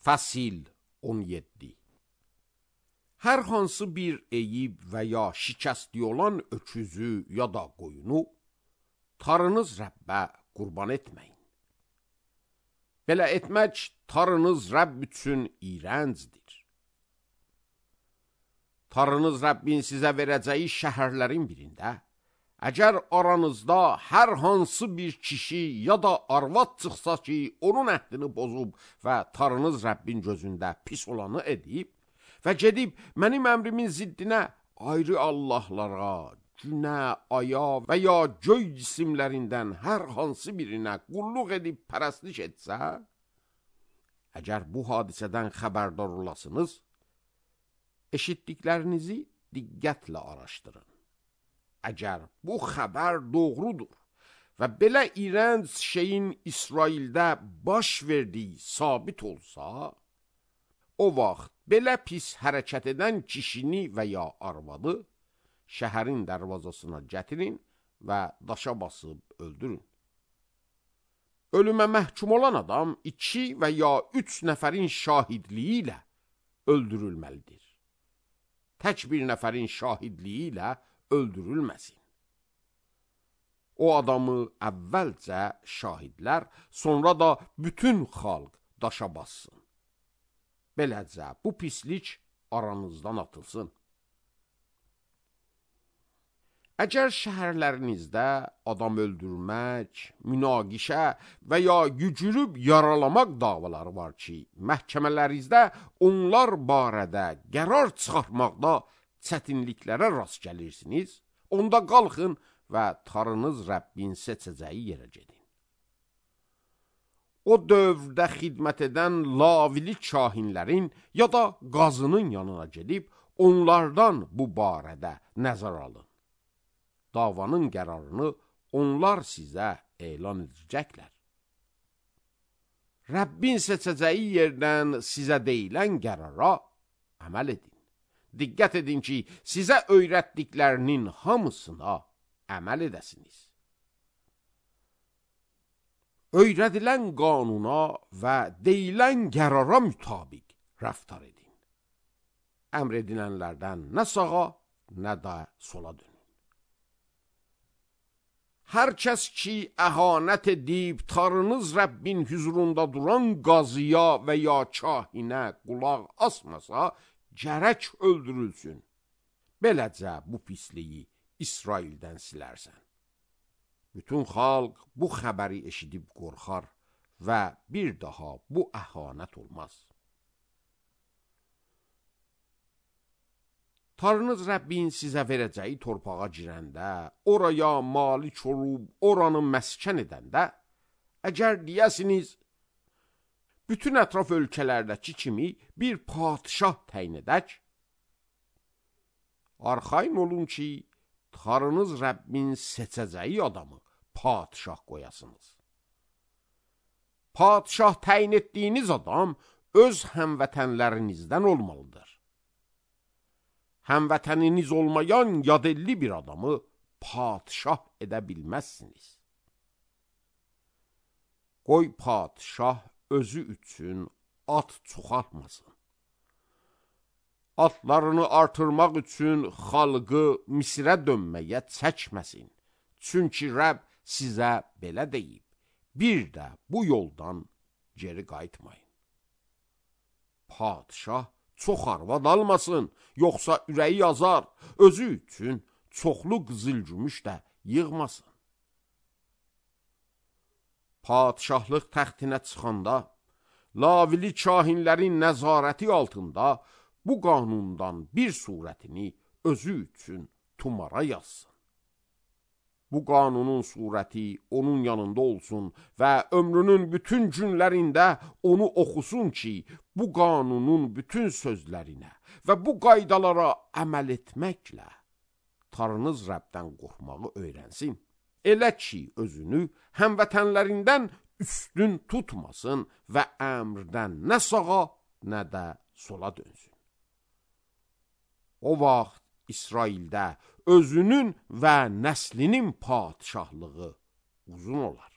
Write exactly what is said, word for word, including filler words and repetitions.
Fəsil on yeddi. Hər hansı bir eyib və ya şikəstliyi olan öküzü ya da qoyunu tarınız Rəbbə qurban etməyin. Belə etmək tarınız Rəbb üçün iyrəncdir. Tarınız Rəbbin sizə verəcəyi şəhərlərin birində, əgər aranızda hər hansı bir kişi ya da arvad çıxsa ki, onun əhdini pozub və tarınız Rəbbin gözündə pis olanı edib və gedib mənim əmrimin ziddinə ayrı Allahlara, günə, aya və ya göy cisimlərindən hər hansı birinə qulluq edib pərəstlik etsə, əgər bu hadisədən xəbərdar olasınız, eşitdiklərinizi diqqətlə araşdırın. Əgər bu xəbər doğrudur və belə iyrənc şeyin İsraildə baş verdiyi sabit olsa, o vaxt belə pis hərəkət edən kişini və ya arvadı şəhərin dərvazasına gətirin və daşa basıb öldürün. Ölümə məhkum olan adam iki və ya üç nəfərin şahidliyi ilə öldürülməlidir. Tək bir nəfərin şahidliyi ilə öldürülməsin. O adamı əvvəlcə şahidlər, sonra da bütün xalq daşa bassın. Beləcə bu pislik aranızdan atılsın. Əgər şəhərlərinizdə adam öldürmək, münaqişə və ya gücürüb yaralamaq davaları var ki, məhkəmələrinizdə onlar barədə qərar çıxartmaqda çətinliklərə rast gəlirsiniz, onda qalxın və tarınız Rəbbin seçəcəyi yerə gedin. O dövrdə xidmət edən lavili kahinlərin ya da qazının yanına gedib, onlardan bu barədə nəzər alın. Davanın qərarını onlar sizə elan edəcəklər. Rəbbin seçəcəyi yerdən sizə deyilən qərara əməl edin. Diqqət edin ki, sizə öyrətdiklərinin hamısına əməl edəsiniz. Öyrədilən qanuna və deyilən qərara mütabiq rəftar edin. Əmr edilənlərdən nə sağa, nə də sola dönün. Hər kəs ki, əhanət edib tarınız Rəbbin hüzurunda duran qazıya və ya kahinə qulaq asmasa, gərək öldürülsün. Beləcə bu pisliyi İsraildən silərsən. Bütün xalq bu xəbəri eşidib qorxar və bir daha bu əhanət olmaz. Tarınız Rəbbin sizə verəcəyi torpağa girəndə, oraya malik olub, oranı məskən edəndə, əgər deyəsiniz, bütün ətraf ölkələrdəki kimi bir padişah təyin edək, arxayın olun ki, tarınız Rəbbin seçəcəyi adamı padişah qoyasınız. Padişah təyin etdiyiniz adam öz həmvətənlərinizdən olmalıdır. Həmvətəniniz olmayan yadelli bir adamı padişah edə bilməzsiniz. Qoy padişah özü üçün at çoxaltmasın. Atlarını artırmaq üçün xalqı Misrə dönməyə çəkməsin. Çünki Rəbb sizə belə deyib, bir də bu yoldan geri qayıtmayın. Padişah çox arvad almasın, yoxsa ürəyi yazar, özü üçün çoxlu qızıl-gümüş də yığmasın. Padişahlıq təxtinə çıxanda, lavili kahinlərin nəzarəti altında bu qanundan bir surətini özü üçün tumara yazsın. Bu qanunun surəti onun yanında olsun və ömrünün bütün günlərində onu oxusun ki, bu qanunun bütün sözlərinə və bu qaydalara əməl etməklə tarınız Rəbdən qorxmağı öyrənsin. Elə ki, özünü həmvətənlərindən üstün tutmasın və əmrdən nə sağa, nə də sola dönsün. O vaxt İsraildə özünün və nəslinin padişahlığı uzun olar.